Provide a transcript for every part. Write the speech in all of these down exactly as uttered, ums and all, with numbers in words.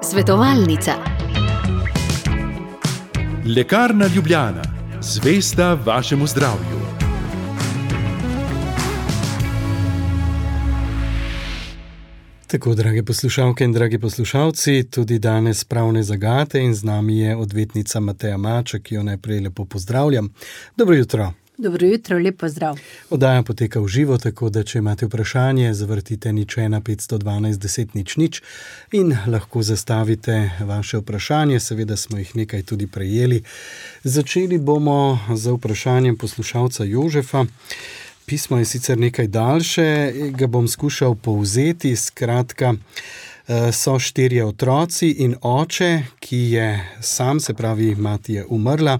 Svetovalnica. Lekarna Ljubljana, zvesta vašemu zdravju. Tako, drage poslušalke in dragi poslušalci, tudi danes pravne zagate in z nami je odvetnica Mateja Maček, ki jo najprej lepo pozdravljam. Dobro jutro. Dobro jutro, lep pozdrav. Oddaja poteka v živo, tako da če imate vprašanje, zavrtite nič ena petsto dvanajst deset nič nič in lahko zastavite vaše vprašanje, seveda smo jih nekaj tudi prejeli. Začeli bomo z vprašanjem poslušalca Jožefa. Pismo je sicer nekaj daljše, ga bom skušal povzeti, skratka, so štirje otroci in oče, ki je sam, se pravi, mati je umrla.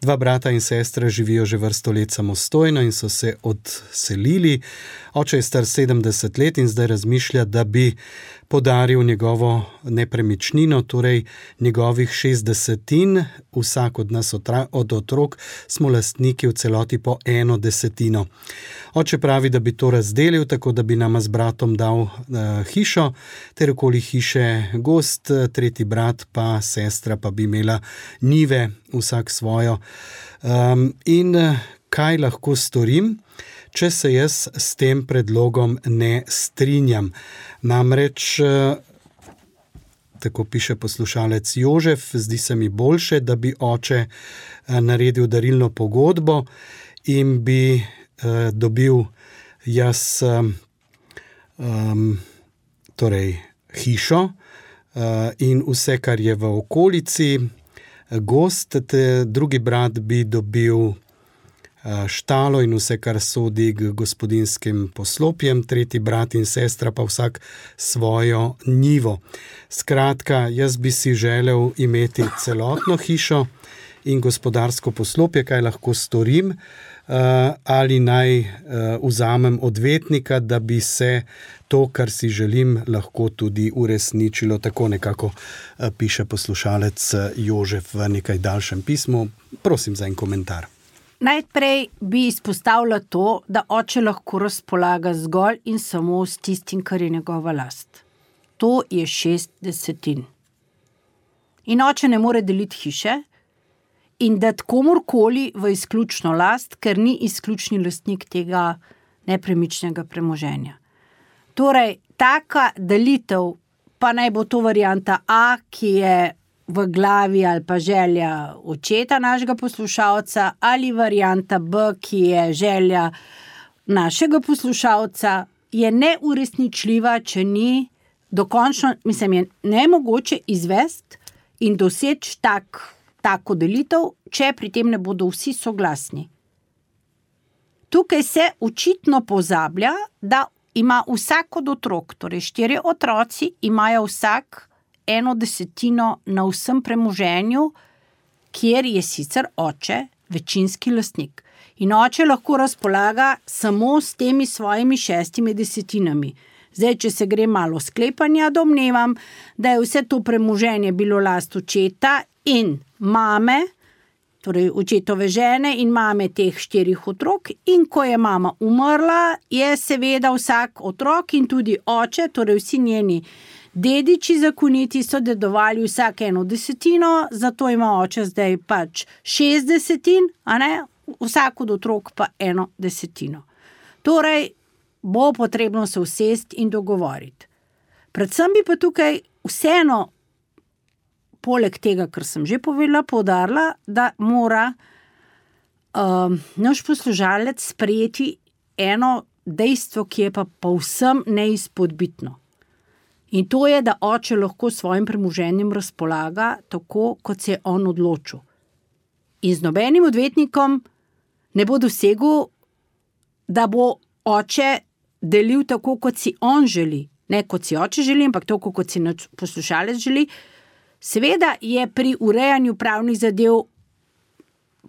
Dva brata in sestra živijo že vrsto let samostojno in so se odselili. Oče je star sedemdeset let in zdaj razmišlja, da bi podaril njegovo nepremičnino, torej njegovih šest desetin. Vsak od nas otra, od otrok smo lastniki v celoti po eno desetino. Oče pravi, da bi to razdelil, tako da bi nama z bratom dal uh, hišo, ter okoli hiše gozd, tretji brat pa sestra pa bi imela njive, vsak svojo. Um, in kaj lahko storim, če se jaz s tem predlogom ne strinjam? Namreč, tako piše poslušalec Jožef, zdi se mi boljše, da bi oče naredil darilno pogodbo in bi eh, dobil jaz um, torej hišo uh, in vse, kar je v okolici, gozd, drugi brat bi dobil štalo in vse, kar sodi k gospodinskim poslopjem, tretji brat in sestra pa vsak svojo njivo. Skratka, jaz bi si želel imeti celotno hišo in gospodarsko poslopje, kaj lahko storim, ali naj vzamem odvetnika, da bi se to, kar si želim, lahko tudi uresničilo. Tako nekako piše poslušalec Jožef v nekaj daljšem pismu. Prosim za en komentar. Najprej bi izpostavila to, da oče lahko razpolaga zgolj in samo s tistim, kar je njegova last. To je šest desetin. In oče ne more deliti hiše in dati komorkoli v izključno last, ker ni izključni lastnik tega nepremičnega premoženja. Torej, taka delitev, pa naj bo to varianta A, ki je v glavi ali pa želja očeta našega poslušalca, ali varianta B, ki je želja našega poslušalca, je neuresničljiva, če ni dokončno, mislim, je nemogoče izvesti in doseči tak, tako delitev, če pri tem ne bodo vsi soglasni. Tukaj se očitno pozablja, da ima vsak od otrok, torej štirje otroci, imajo vsak eno desetino na vsem premoženju, kjer je sicer oče večinski lastnik. In oče lahko razpolaga samo s temi svojimi šestimi desetinami. Zdaj, če se gre malo sklepanja, domnevam, da je vse to premoženje bilo last očeta in mame, torej očetove žene in mame teh štirih otrok, in ko je mama umrla, je seveda vsak otrok in tudi oče, torej vsi njeni dediči zakoniti so dedovali vsak eno desetino, zato ima oče zdaj pač šest desetin, a ne, vsak od otrok pa eno desetino. Torej, bo potrebno se usesti in dogovoriti. Predvsem bi pa tukaj vseeno, poleg tega, kar sem že povedala, poudarila, da mora um, naš poslušalec sprejeti eno dejstvo, ki je pa povsem neizpodbitno. In to je, da oče lahko svojim premoženjem razpolaga tako, kot se je on odločil. In z nobenim odvetnikom ne bo dosegel, da bo oče delil tako, kot si on želi. Ne kot si oče želi, ampak tako, kot si poslušalec želi. Seveda je pri urejanju pravnih zadev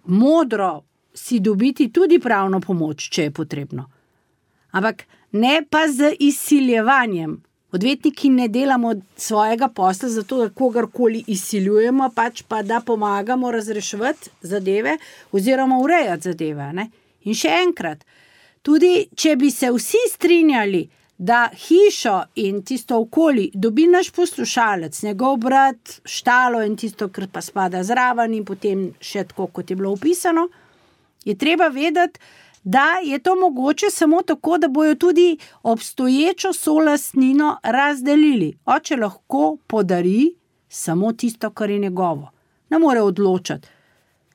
modro si dobiti tudi pravno pomoč, če je potrebno. Ampak ne pa z izsiljevanjem. Odvetniki ne delamo svojega posla zato, da kogarkoli izsiljujemo, pač pa da pomagamo razreševati zadeve oziroma urejati zadeve. Ne? In še enkrat, tudi če bi se vsi strinjali, da hišo in tisto okoli dobi naš poslušalec, njegov brat, štalo in tisto, kar pa spada zraven in potem še tako, kot je bilo opisano, je treba vedeti, da je to mogoče samo tako, da bojo tudi obstoječo solastnino razdelili. Oče lahko podari samo tisto, kar je njegovo. Ne more odločati.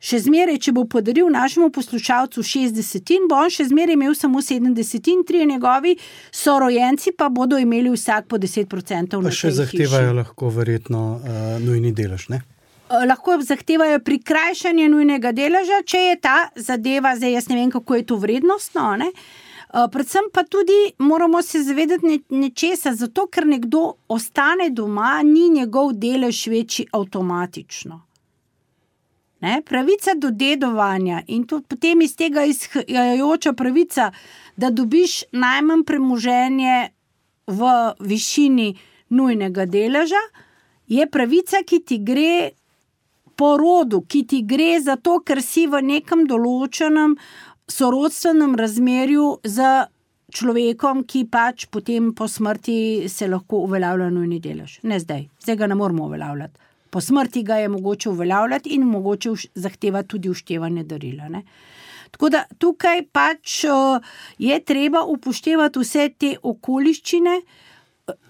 Še zmeraj, če bo podaril našemu poslušalcu šestdesetin, bo on še zmeraj imel samo sedemdesetin, trije njegovi sorojenci pa bodo imeli vsak po deset procentov na tej hiši. Pa še zahtevajo lahko verjetno uh, nujni delež, ne? Uh, lahko zahtevajo prikrajšanje nujnega deleža, če je ta zadeva, zdaj jaz ne vem, kako je to vrednostno, ne? Uh, predvsem pa tudi moramo se zavedati ne, nečesa, zato ker nekdo ostane doma, ni njegov delež večji avtomatično. Ne, pravica do dedovanja in to potem iz tega izhajajoča pravica, da dobiš najmanj premoženje v višini nujnega deleža, je pravica, ki ti gre po rodu, ki ti gre zato, ker si v nekem določenem sorodstvenem razmerju z človekom, ki pač potem po smrti se lahko uveljavlja nujni delež. Ne zdaj, zdaj ga ne moramo uveljavljati. Po smrti ga je mogoče uveljavljati in mogoče zahtevati tudi uštevanje darila. Ne? Tako da tukaj pač je treba upoštevati vse te okoliščine.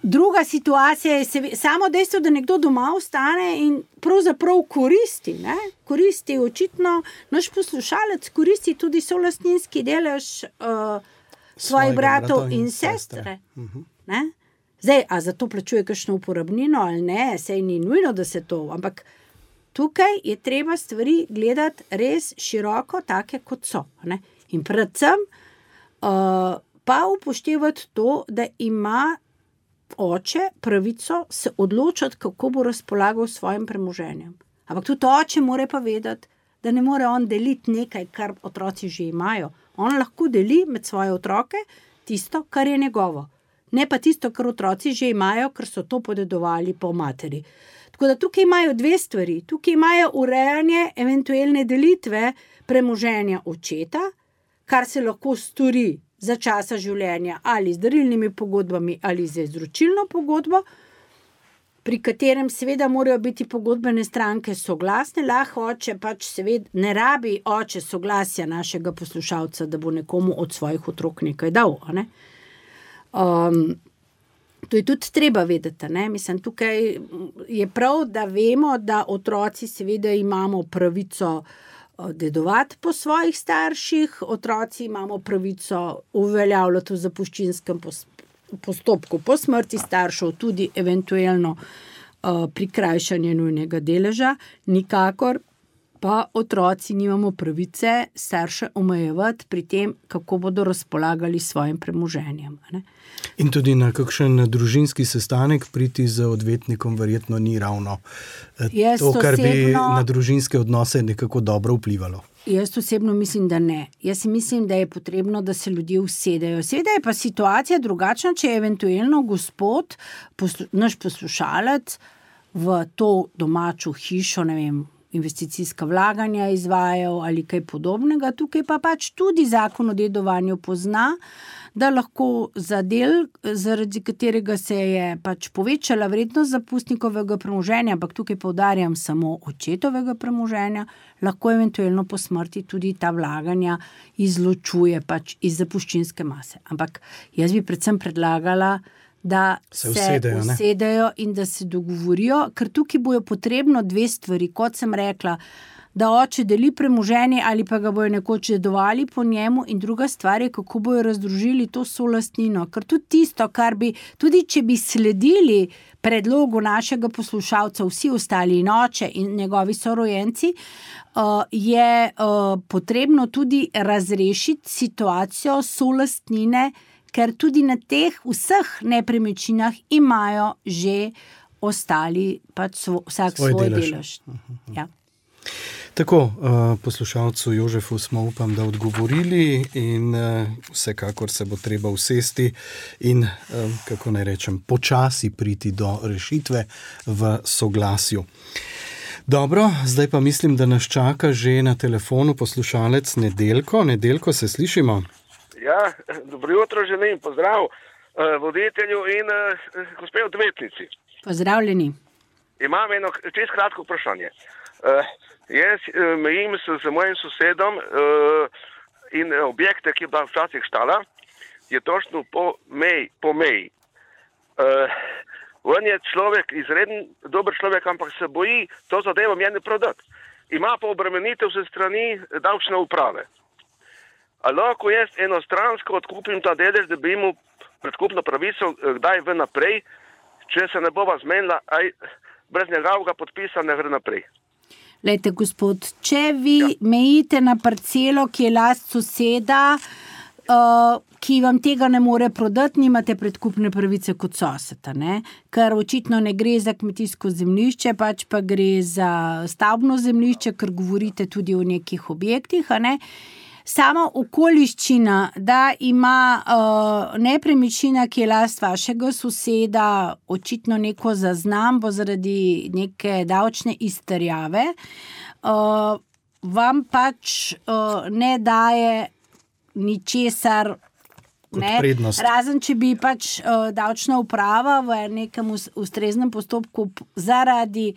Druga situacija je samo dejstvo, da nekdo doma ostane in pravzaprav koristi. Ne? Koristi očitno, naš poslušalec koristi tudi solastninski delež uh, svojih bratov in sestre. Uh-huh. Ne? Zdaj, a za to plačuje kakšno uporabnino ali ne, sej ni nujno, da se to, ampak tukaj je treba stvari gledati res široko, take kot so. Ne? In predvsem uh, pa upoštevati to, da ima oče pravico se odločati, kako bo razpolagal s svojim premoženjem. Ampak tudi oče mora pa vedeti, da ne more on deliti nekaj, kar otroci že imajo. On lahko deli med svoje otroke tisto, kar je njegovo. Ne pa tisto, kar otroci že imajo, ker so to podedovali po materi. Tako da tukaj imajo dve stvari. Tukaj imajo urejanje eventualne delitve premoženja očeta, kar se lahko stori za časa življenja ali z darilnimi pogodbami ali z izročilno pogodbo, pri katerem seveda morajo biti pogodbene stranke soglasne. Lahko oče pač seveda ne rabi oče soglasja našega poslušalca, da bo nekomu od svojih otrok nekaj dal, ne? Um, to je tudi treba vedeti, ne? Mislim, tukaj je prav, da vemo, da otroci seveda imamo pravico dedovati po svojih starših, otroci imamo pravico uveljavljati v zapuščinskem postopku po smrti staršev, tudi eventualno uh, prikrajšanje nujnega deleža, nikakor pa otroci nimamo pravice starše omejevati pri tem, kako bodo razpolagali s svojim premoženjem. Ne? In tudi na kakšen družinski sestanek priti z odvetnikom verjetno ni ravno jaz to, kar osebno, bi na družinske odnose nekako dobro vplivalo. Jaz osebno mislim, da ne. Jaz mislim, da je potrebno, da se ljudje usedejo. Seveda je pa situacija drugačna, če je eventualno gospod, poslu, naš poslušalec v to domačo hišo, ne vem, investicijska vlaganja izvajal ali kaj podobnega. Tukaj pa pač tudi zakon o dedovanju pozna, da lahko za del, zaradi katerega se je pač povečala vrednost zapustnikovega premoženja, ampak tukaj poudarjam samo očetovega premoženja, lahko eventualno po smrti tudi ta vlaganja izločuje pač iz zapuščinske mase. Ampak jaz bi predvsem predlagala, da se, se usedejo, usedejo in da se dogovorijo, ker tukaj bojo potrebno dve stvari, kot sem rekla, da oče deli premoženje ali pa ga bojo nekoč dedovali po njemu, in druga stvar je, kako bojo razdružili to solastnino, ker tudi tisto, kar bi, tudi če bi sledili predlogu našega poslušalca vsi ostali in oče in njegovi sorojenci, uh, je uh, potrebno tudi razrešiti situacijo solastnine, ker tudi na teh vseh nepremičninah imajo že ostali pač svo, vsak svoj, svoj delež. delež. Ja. Tako, poslušalcu Jožefu smo, upam, da odgovorili in vsekakor se bo treba usesti in, kako naj rečem, počasi priti do rešitve v soglasju. Dobro, zdaj pa mislim, da nas čaka že na telefonu poslušalec Nedeljko. Nedeljko, se slišimo? Ja, dobro jutro želim, pozdrav. voditelju in gospe odvetnici. Pozdravljeni. Imam eno čisto kratko vprašanje. Jaz mejim se z mojim sosedom in objekte, ki je bila včasih štala, je točno po meji. Po meji. On je človek, izreden dober človek, ampak se boji to zadevo meni prodati. Ima pa obremenitev se strani davčne uprave. A lahko jaz enostransko odkupim ta delež, da bi imel predkupno pravico kdaj v naprej, če se ne bova zmenila, aj brez njegovega podpisa ne gre naprej. Lejte, gospod, če vi ja. mejite na parcelo, ki je last soseda, uh, ki vam tega ne more prodati, nimate predkupne pravice kot soseda, ne? Ker očitno ne gre za kmetijsko zemljišče, pač pa gre za stavbno zemljišče, ker govorite tudi o nekih objektih, a ne? Sama okoliščina, da ima uh, nepremičnina, ki je last vašega soseda, očitno neko zaznambo zaradi neke davčne izterjave, uh, vam pač uh, ne daje ničesar, ne? Razen, če bi pač uh, davčna uprava v nekem ustreznem postopku zaradi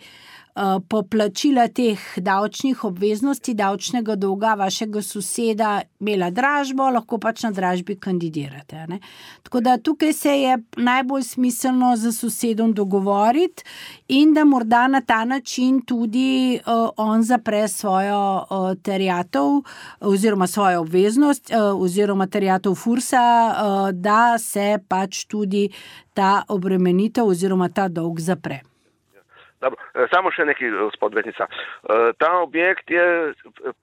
poplačila teh davčnih obveznosti, davčnega dolga vašega soseda imela dražbo, lahko pač na dražbi kandidirate. Ne? Tako da tukaj se je najbolj smiselno za sosedom dogovoriti in da morda na ta način tudi uh, on zapre svojo uh, terjatev oziroma svojo obveznost uh, oziroma terjatev Fursa, uh, da se pač tudi ta obremenitev oziroma ta dolg zapre. Dobro, samo še nekaj, gospod odvetnica. Ta objekt je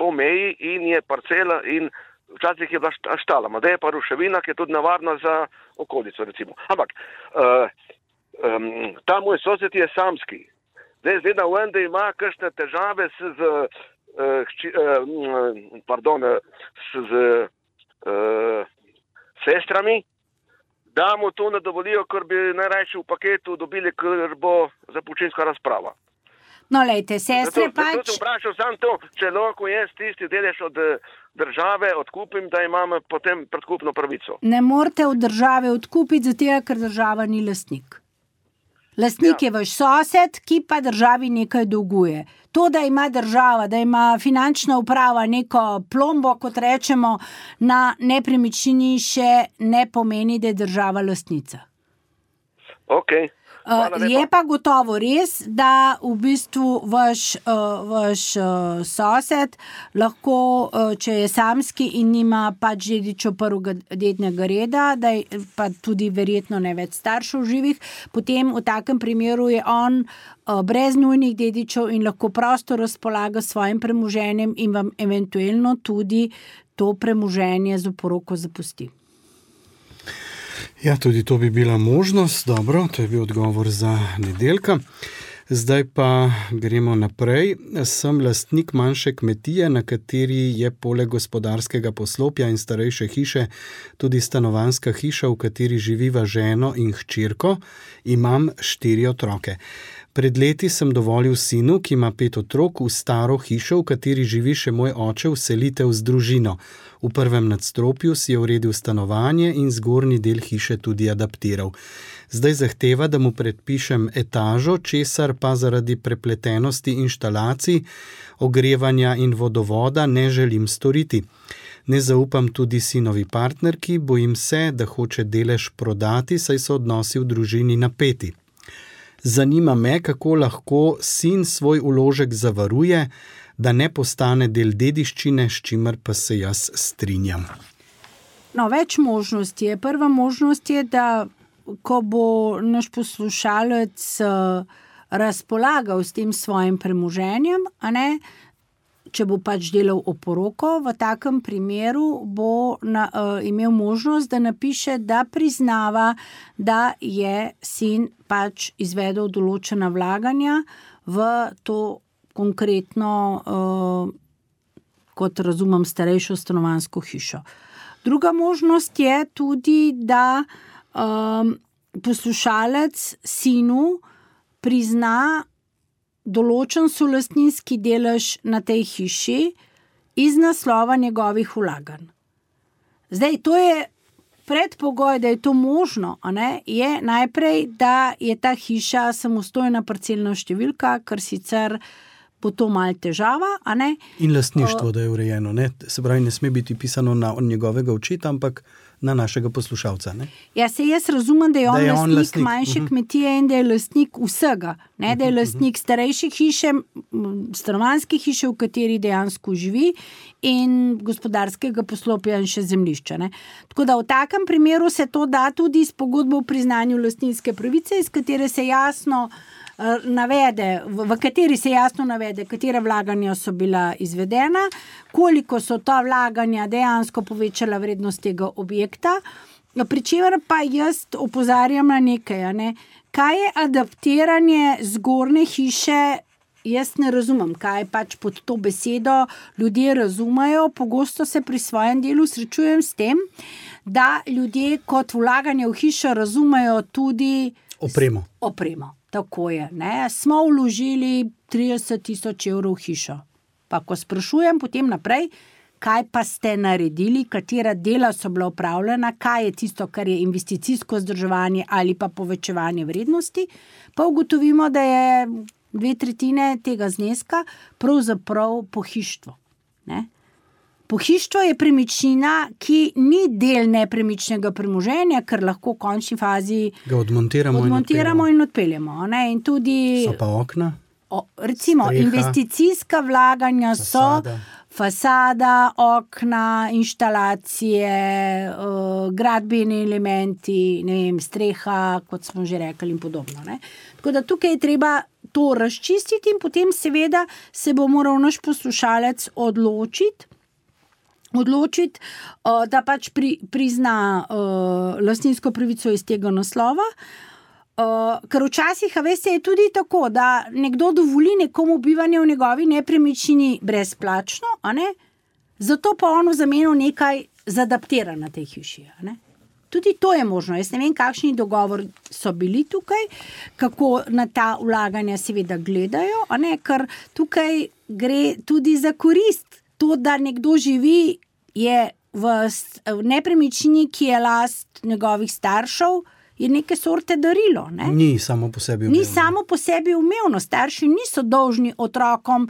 po meji in je parcela in včasih je bila štala, da je pa ruševina, ki je tudi nevarna za okolico, recimo. Ampak, ta moj sosed je samski. Zdaj zgleda, da ima kakšne težave s, z, pardon, s, z sestrami, da mu to ne dovolijo, ker bi najrajši v paketu dobili, ker bo zapučinska razprava. No, lejte, sestre zato, pač... Zato sem vprašal sam to, če lahko jaz tisti delež od države odkupim, da imam potem predkupno pravico. Ne morete od države odkupiti, zato ker država ni lastnik. Lastnik ja. je vaš sosed, ki pa državi nekaj dolguje. To, da ima država, da ima finančna uprava neko plombo, kot rečemo, na nepremičnini še ne pomeni, da je država lastnica. Ok. Uh, je pa gotovo res, da v bistvu vaš, uh, vaš uh, sosed lahko, uh, če je samski in nima pač dedičev prvega dednega reda, da je pa tudi verjetno ne več staršev živih, potem v takem primeru je on uh, brez nujnih dedičev in lahko prosto razpolaga s svojim premoženjem in vam eventualno tudi to premoženje z oporoko zapusti. Ja, tudi to bi bila možnost. Dobro, to je bil odgovor za Nedeljka. Zdaj pa gremo naprej. Sem lastnik manjše kmetije, na kateri je poleg gospodarskega poslopja in starejše hiše tudi stanovanjska hiša, v kateri živiva ženo in hčerko. Imam štiri otroke. Pred leti sem dovolil sinu, ki ima pet otrok, v staro hišo, v kateri živi še moj oče, vselitev z družino. V prvem nadstropju si je uredil stanovanje in zgornji del hiše tudi adaptiral. Zdaj zahteva, da mu predpišem etažo, česar pa zaradi prepletenosti inštalacij, ogrevanja in vodovoda ne želim storiti. Ne zaupam tudi sinovi partnerki, bojim se, da hoče delež prodati, saj so odnosi v družini napeti. Zanima me, kako lahko sin svoj vložek zavaruje, da ne postane del dediščine, s čimer pa se jaz strinjam. No, več možnosti je. Prva možnost je, da ko bo naš poslušalec razpolagal s tem svojim premoženjem, a ne, če bo pač delal oporoko, v takem primeru bo na, uh, imel možnost, da napiše, da priznava, da je sin pač izvedel določena vlaganja v to konkretno, uh, kot razumem, starejšo stanovanjsko hišo. Druga možnost je tudi, da um, poslušalec sinu prizna določen solastninski delež na tej hiši iz naslova njegovih vlaganj. Zdaj, to je predpogoj, da je to možno, a ne, je najprej, da je ta hiša samostojna parcelna številka, ker sicer bo to malo težava, a ne. In lastništvo, da je urejeno, ne? Se pravi, ne sme biti pisano na njegovega očeta, ampak na našega poslušalca, ne? Ja, se jaz razumem, da je on, da je lastnik, on lastnik manjše uh-huh. kmetije in da je lastnik vsega, ne, da je lastnik starejše hiše, stanovanjske hiše, v kateri dejansko živi in gospodarskega poslopja in še zemljišča, ne. Tako da v takem primeru se to da tudi s pogodbo o priznanju lastninske pravice, iz katere se jasno navede, v kateri se jasno navede, katera vlaganja so bila izvedena, koliko so ta vlaganja dejansko povečala vrednost tega objekta, pri čemer pa jaz opozarjam na nekaj, ne? Kaj je adaptiranje zgornje hiše, jaz ne razumem, kaj pač pod to besedo ljudje razumejo, pogosto se pri svojem delu srečujem s tem, da ljudje kot vlaganje v hišo razumejo tudi opremo. Opremo. Tako je, ne, smo vložili trideset tisoč evrov v hišo. Pa ko sprašujem potem naprej, kaj pa ste naredili, katera dela so bila opravljena, kaj je tisto, kar je investicijsko vzdrževanje ali pa povečevanje vrednosti, pa ugotovimo, da je dve tretjine tega zneska pravzaprav pohištvo, ne. Pohištvo je premičnina, ki ni del nepremičnega premoženja, ker lahko v končni fazi ga odmontiramo, odmontiramo in odpeljemo. Ne? In tudi, so pa okna? O, recimo, streha, investicijska vlaganja fasada. so fasada, okna, inštalacije, uh, gradbeni elementi, ne vem, streha, kot smo že rekli in podobno. Ne? Tako da tukaj je treba to razčistiti in potem seveda se bo moral naš poslušalec odločiti, odločiti, da pač pri, prizna uh, lastninsko pravico iz tega naslova, uh, ker včasih, a veste, je tudi tako, da nekdo dovoli nekomu bivanje v njegovi nepremičnini brezplačno, a ne? Zato pa on v zameno nekaj zadaptira na tej hiši, a ne? Tudi to je možno. Jaz ne vem, kakšni dogovor so bili tukaj, kako na ta vlaganja seveda gledajo, a ne? Ker tukaj gre tudi za korist. To, da nekdo živi, je v, v nepremičnini, ki je last njegovih staršev, je neke sorte darilo. Ne? Ni samo po sebi umevno. Ni samo po sebi umevno. Starši niso dolžni otrokom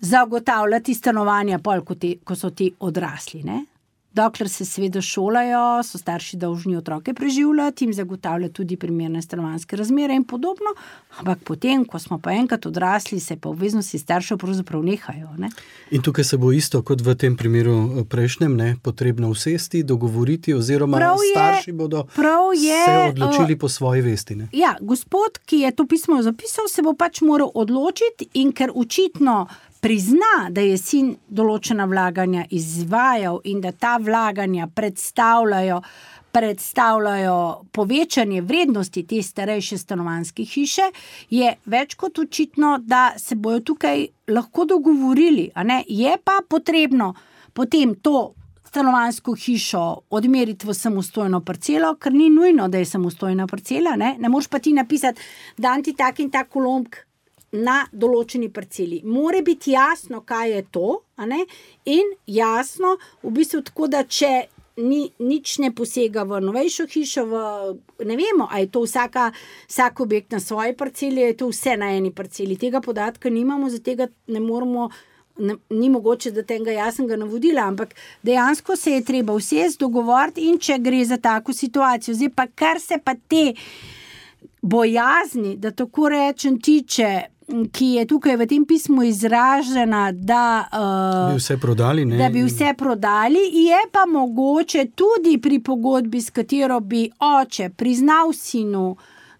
zagotavljati stanovanja, pol, ko, te, ko so ti odrasli. Ne? Dokler se seveda šolajo, so starši dolžni otroke preživljati, jim zagotavljati tudi primerne stanovanjske razmere in podobno, ampak potem, ko smo pa enkrat odrasli, se pa obveznosti staršev pravzaprav nehajo. Ne? In tukaj se bo isto kot v tem primeru prejšnjem, ne, potrebno usesti, dogovoriti oziroma prav starši je, bodo je, se odločili uh, po svoji vesti. Ne? Ja, gospod, ki je to pismo zapisal, se bo pač moral odločiti in ker očitno prizna, da je sin določena vlaganja izvajal in da ta vlaganja predstavljajo, predstavljajo povečanje vrednosti te starejše stanovanjske hiše, je več kot očitno, da se bojo tukaj lahko dogovorili. A ne? Je pa potrebno potem to stanovanjsko hišo odmeriti v samostojno parcelo, ker ni nujno, da je samostojna parcela. Ne, ne moreš pa ti napisati, dan ti tak in tak kolomb na določeni parceli. More biti jasno, kaj je to, a ne? In jasno, v bistvu tako, da če ni, nič ne posega v novejšo hišo, v, ne vemo, a je to vsaka, vsak objekt na svoji parceli, je to vse na eni parceli. Tega podatka nimamo, zato tega ne moramo, ne, ni mogoče, da tega jasnega navodila, ampak dejansko se je treba vsest dogovoriti in če gre za tako situacijo. Zdaj pa, kar se pa te bojazni, da tako rečem, tiče, ki je tukaj v tem pismu izražena, da, uh, bi vse prodali, ne? da bi vse prodali, je pa mogoče tudi pri pogodbi, s katero bi oče priznal sinu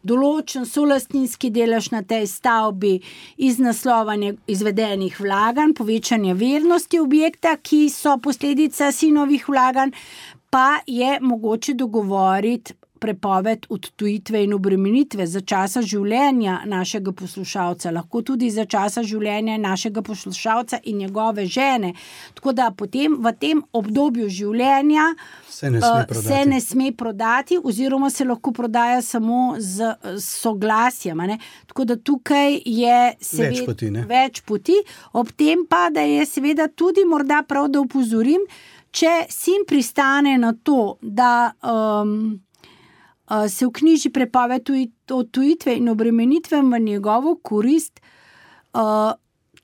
določen solastninski delež na tej stavbi iz naslova izvedenih vlaganj, povečanje vrednosti objekta, ki so posledica sinovih vlaganj, pa je mogoče dogovoriti prepoved odtujitve in obremenitve za časa življenja našega poslušalca, lahko tudi za časa življenja našega poslušalca in njegove žene. Tako da potem v tem obdobju življenja se ne sme prodati, se ne sme prodati oziroma se lahko prodaja samo z, z soglasjem. Ne? Tako da tukaj je seveda več poti, ne? več poti. Ob tem pa, da je seveda tudi morda prav, da upozorim, če sin pristane na to, da um, uh, se vknjiži prepoved odtujitve in obremenitve v njegovo korist, uh,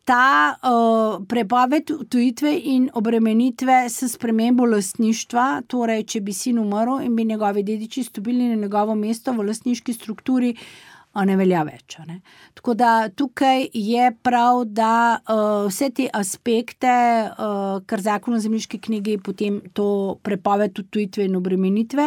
ta uh, prepoved odtujitve in obremenitve s spremembo lastništva, torej če bi sin umrl in bi njegovi dediči stopili na njegovo mesto v lastniški strukturi, ne velja več. Ne? Tako da tukaj je prav, da uh, vse te aspekte, uh, kar zakon o zemljiški knjigi potem to prepoved odtujitve in obremenitve,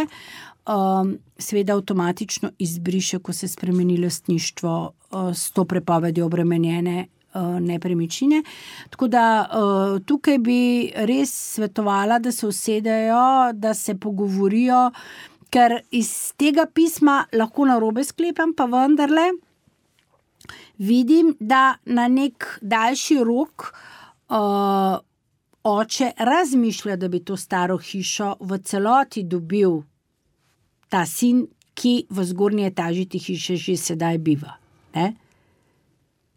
um, seveda avtomatično izbriše, ko se spremeni lastništvo uh, s to prepovedjo obremenjene uh, nepremičnine. Tako da uh, tukaj bi res svetovala, da se usedejo, da se pogovorijo, ker iz tega pisma lahko narobe sklepam, pa vendarle vidim, da na nek daljši rok uh, oče razmišlja, da bi to staro hišo v celoti dobil ta sin, ki v zgornji etaži te hiše že sedaj biva. Ne?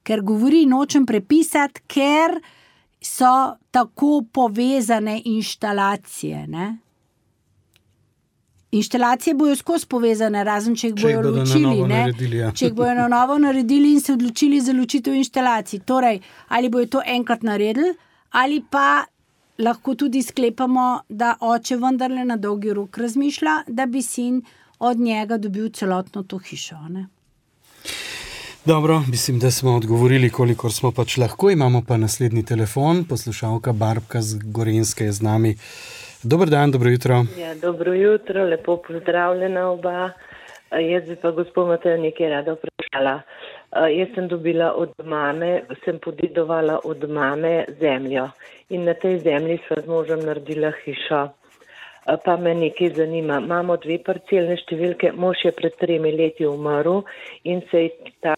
Ker govori, nočem prepisati, ker so tako povezane inštalacije, ne? Inštalacije bojo skozi povezane, razen če jih bojo ločili, ne? Naredili, ja. Če jih bojo na novo naredili in se odločili za ločitev inštalacij. Torej, ali bojo to enkrat naredili, ali pa lahko tudi sklepamo, da oče vendarle na dolgi rok razmišlja, da bi sin od njega dobil celotno to hišo. Ne? Dobro, mislim, da smo odgovorili, kolikor smo pač lahko. Imamo pa naslednji telefon, poslušalka Barbka z Gorenjske je z nami. Dober dan, dobro jutro. Ja, dobro jutro, lepo pozdravljena oba. Jaz bi pa gospod Matej nekaj rada vprašala. Jaz sem dobila od mame, sem podedovala od mame zemljo in na tej zemlji sva z možem naredila hišo. Pa me nekaj zanima. Imamo dve parcelne številke, mož je pred tremi leti umrl in se je ta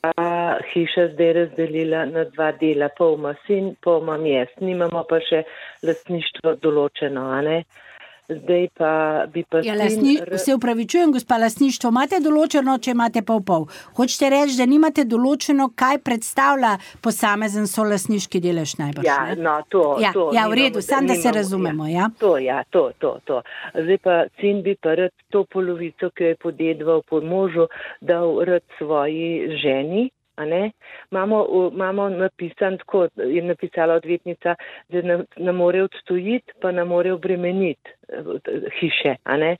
hiša zdaj razdelila na dva dela. Pol ima sin, pol imam jaz. Nimamo pa še lastništvo določeno, a ne? Zdaj pa bi pa ja, sin... Lasni... Se upravičujem, gospa, lastništvo imate določeno, če imate pol pol. Hočete reči, da nimate določeno, kaj predstavlja posamezen solastniški delež najbrž, ja, ne? No, to, ja, to. Ja, v redu, nimamo, sam da nimamo, se razumemo, ja. ja. To, ja, to, to, to. Zdaj pa sin bi pa rad to polovico, ki jo je podedoval po možu, dal rad svoji ženi, a ne? Imamo, imamo napisan tako, je napisala odvetnica, da ne, ne more odtujiti, pa ne more obremeniti hiše, a ne?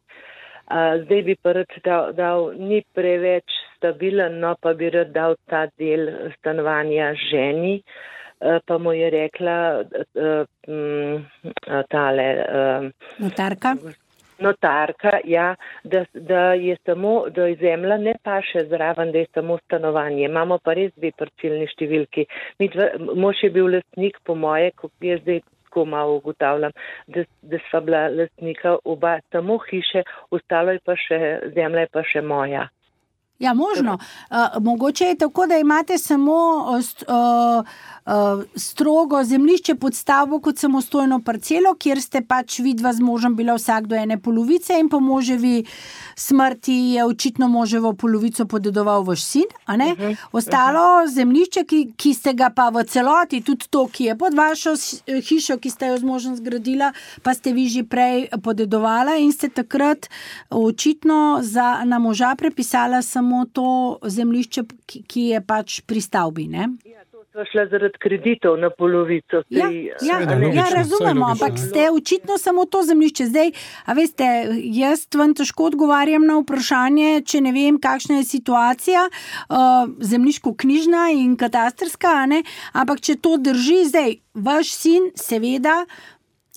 A, zdaj bi pa rad dal, dal, ni preveč stabilen, no pa bi rad dal ta del stanovanja ženi, pa mu je rekla tale... Notarka? Notarka, ja, da, da je samo, da je zemlja ne paše zraven, da je samo stanovanje. Imamo pa res dve parcelni številki. Mož je bil lastnik, po moje, ko jaz zdaj tako malo ugotavljam, da, da sva bila lastnika oba samo hiše, ostalo je pa še, zemlja je pa še moja. Ja, možno. Uh, mogoče je tako, da imate samo uh, uh, strogo zemljišče pod stavbo kot samostojno parcelo, kjer ste pač vidva z možem bila vsak do ene polovice in po moževi smrti je očitno moževo polovico podedoval vaš sin, a ne? Uh-huh. Ostalo uh-huh. zemljišče, ki, ki ste ga pa v celoti, tudi to, ki je pod vašo hišo, ki ste jo z možem zgradila, pa ste vi že prej podedovala in ste takrat očitno za, na moža prepisala samo to zemljišče, ki je pač pri stavbi, ne? Ja, to sva šla zaradi kreditov na polovico. Ja, ja, ja, razumemo, ampak ste očitno samo to zemljišče. Zdaj, a veste, jaz vam težko odgovarjam na vprašanje, če ne vem, kakšna je situacija uh, zemljiško-knjižna in katastrska, ne? Ampak če to drži, zdaj, vaš sin seveda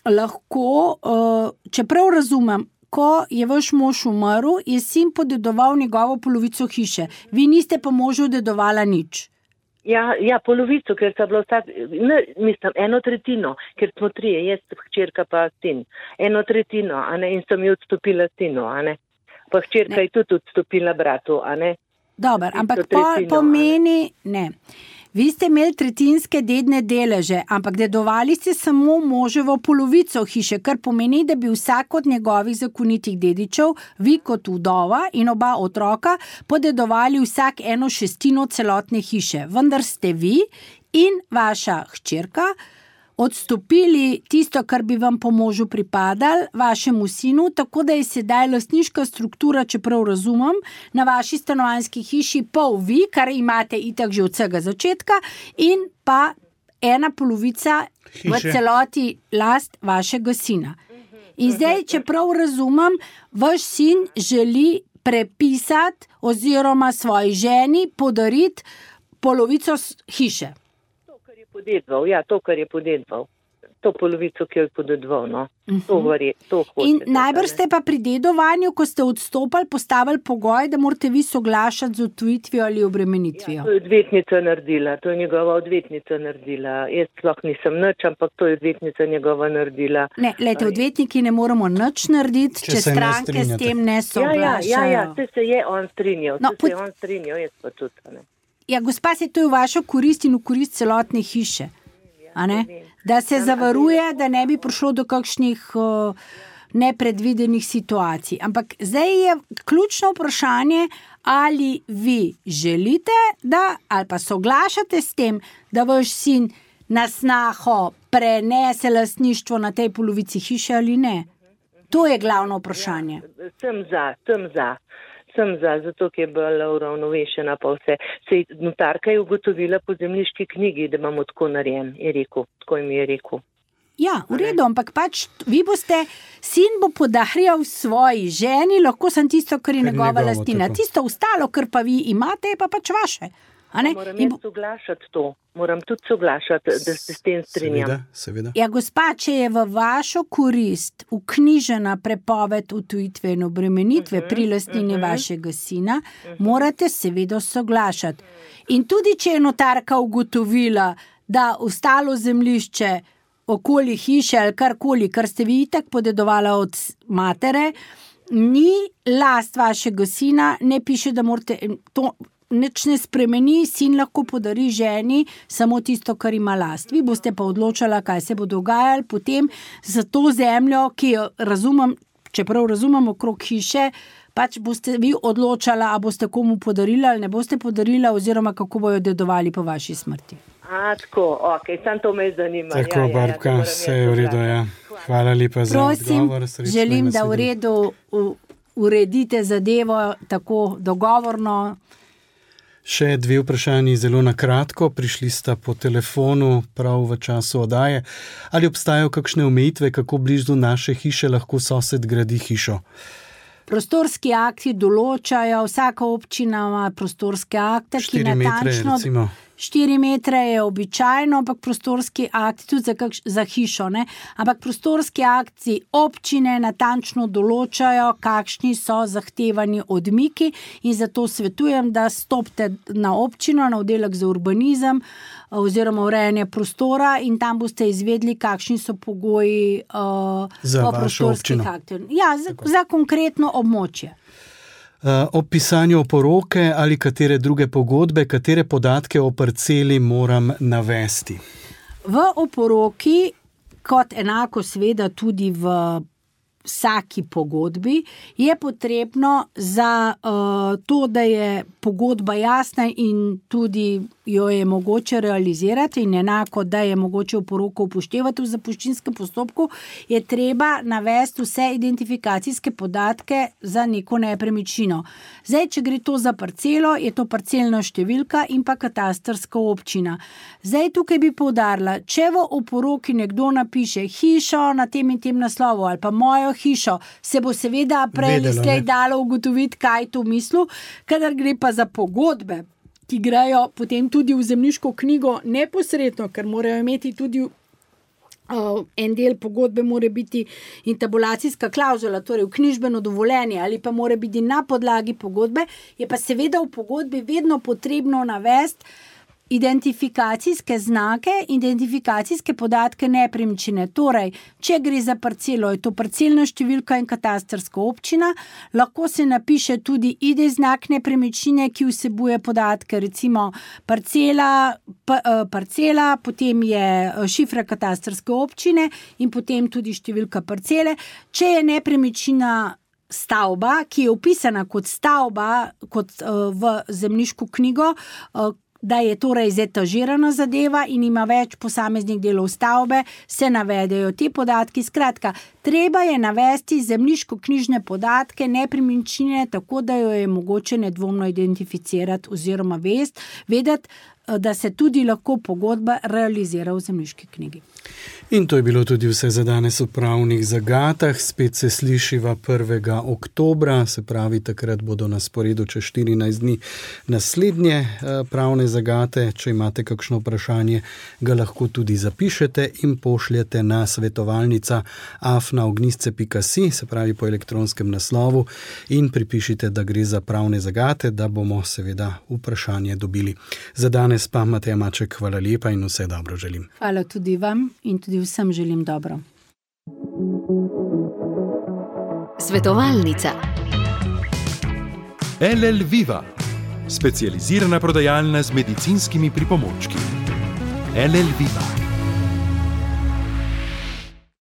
lahko, uh, čeprav razumem, ko je vaš mož umrl, je sin podedoval njegovo polovico hiše. Vi niste pa možu dedovala nič. Ja, ja, polovico, ker sta bila vsak, ne, mislim, eno tretjino, ker smo trije, jaz, hčerka pa sin. Eno tretjino, a ne, in sem jo odstopila sinu, a ne. Pa hčerka ne. Je tudi odstopila bratu, a ne. Dobar, ampak po, pomeni, ne. Vi ste imeli tretjinske dedne deleže, ampak dedovali ste samo moževo polovico hiše, kar pomeni, da bi vsak od njegovih zakonitih dedičev, vi kot vdova in oba otroka, podedovali vsak eno šestino celotne hiše. Vendar ste vi in vaša hčerka odstopili tisto, kar bi vam po možu pripadalo, vašemu sinu, tako da je sedaj lastniška struktura, čeprav razumem, na vaši stanovanjski hiši pol vi, kar imate itak že od vsega začetka, in pa ena polovica hiše v celoti last vašega sina. In zdaj, čeprav razumem, vaš sin želi prepisati oziroma svoji ženi podariti polovico hiše. Podedval, ja, to, kar je podedval. To polovico, ki jo je podedval, no. To varje, to hoče. In najbrž ste pa pri dedovanju, ko ste odstopali, postavili pogoj, da morate vi soglašati z odtujitvijo ali obremenitvijo. Ja, to je odvetnica naredila, to je njegova odvetnica naredila. Jaz sploh nisem nič, ampak to je odvetnica njegova naredila. Ne, lejte, odvetniki ne moramo nič narediti, če, če stranke s tem ne soglašajo. Ja, ja, ja, ja, se je on strinjal, no, se pod... je on strinjal, jaz pa tudi, ne. Ja, gospa, se to je v vašo korist in v korist celotne hiše, a ne? Da se zavaruje, da ne bi prišlo do kakšnih uh, nepredvidenih situacij. Ampak zdaj je ključno vprašanje, ali vi želite, da, ali pa soglašate s tem, da vaš sin na snaho prenese lastništvo na tej polovici hiše ali ne. To je glavno vprašanje. Ja, sem za, sem za. Sem za, zato ki je bila uravnovešena pa vse. Sej notarka je ugotovila po zemljiški knjigi, da imamo tako narejen, je rekel, tako jim je rekel. Ja, v redu, ampak pač vi boste, sin bo podarjal svoji ženi, lahko sem tisto, kar je njegova lastina. Tisto ostalo, kar pa vi imate, je pa pač vaše. A ne? Moram jaz soglašati to, moram tudi soglašati, da se s tem strinjam. Seveda, seveda. Ja, gospa, če je v vašo korist uknjižena prepoved odtujitve in obremenitve uh-huh, pri lastnini uh-huh. vašega sina, uh-huh. morate seveda soglašati. In tudi, če je notarka ugotovila, da ostalo zemljišče okoli hiše ali karkoli, kar ste vi itak podedovala od matere, ni last vašega sina, ne piše, da morate to nič ne spremeni, sin lahko podari ženi samo tisto, kar ima last. Vi boste pa odločala, kaj se bo dogajalo potem za to zemljo, ki jo razumem, čeprav razumem okrog hiše, pač boste vi odločala, a boste komu podarila ali ne boste podarila, oziroma kako bojo dedovali po vaši smrti. A, tako, ok, sam to me zanima. Tako, ja, ja, Barbka, ja, vse je v redu, ja. Hvala lepa za Prosim, odgovor. Prosim, želim, da v redu uredite zadevo tako dogovorno. Še dve vprašanji zelo na kratko. Prišli sta po telefonu prav v času oddaje. Ali obstajajo kakšne omejitve, kako blizu naše hiše lahko sosed gradi hišo? Prostorski akti določajo, vsaka občina ima prostorske akte, ki natančno... recimo. Štiri metre je običajno, ampak prostorski akti, tudi za, kakš, za hišo, ne? Ampak prostorski akti občine natančno določajo, kakšni so zahtevani odmiki, in zato svetujem, da stopite na občino, na oddelek za urbanizem oziroma urejanje prostora, in tam boste izvedli, kakšni so pogoji uh, za vašo občino. Aktov. Ja, za, za konkretno območje. Uh, ob pisanju oporoke ali katere druge pogodbe, katere podatke o parceli moram navesti? V oporoki, kot enako seveda tudi v vsaki pogodbi, je potrebno za uh, to, da je pogodba jasna in tudi jo je mogoče realizirati, in enako, da je mogoče oporoko upoštevati v zapuščinskem postopku, je treba navesti vse identifikacijske podatke za neko nepremičnino. Zdaj, če gre to za parcelo, je to parcelna številka in pa katastrska občina. Zdaj, tukaj bi poudarila, če v oporoki nekdo napiše hišo na tem in tem naslovu ali pa mojo hišo, se bo seveda prej ali slej dalo ugotoviti, kaj to mislu, kadar gre pa za pogodbe, ki grejo potem tudi v zemljiško knjigo neposredno, ker morajo imeti tudi uh, en del pogodbe mora biti intabulacijska klavzula, torej vknjižbeno dovoljenje, ali pa mora biti na podlagi pogodbe, je pa seveda v pogodbi vedno potrebno navesti identifikacijske znake, identifikacijske podatke nepremičnine. Torej, če gre za parcelo, je to parcelna številka in katastrska občina, lahko se napiše tudi I D znak nepremičnine, ki vsebuje podatke, recimo parcela, pa, parcela, potem je šifra katastrske občine in potem tudi številka parcele. Če je nepremičnina stavba, ki je upisana kot stavba, kot uh, v zemljiško knjigo, uh, da je torej zetažirana zadeva in ima več posameznih delov stavbe, se navedejo ti podatki. Skratka, treba je navesti zemljiško-knjižne podatke nepremičnine, tako da jo je mogoče nedvomno identificirati oziroma vest, vedeti, da se tudi lahko pogodba realizira v zemljiški knjigi. In to je bilo tudi vse za danes v pravnih zagatah. Spet se slišiva prvega oktobra, se pravi, takrat bodo na sporedu čez štirinajst dni naslednje pravne zagate. Če imate kakšno vprašanje, ga lahko tudi zapišete in pošljete na svetovalnica afna ognjisce pika si, se pravi po elektronskem naslovu, in pripišite, da gre za pravne zagate, da bomo seveda vprašanje dobili. Za danes pa Mateja Maček, hvala lepa in vse dobro želim. Hvala tudi vam in tudi vsem želim dobro. Svetovalnica. L L Viva, specializirana prodajalna z medicinskimi pripomočki. L L Viva.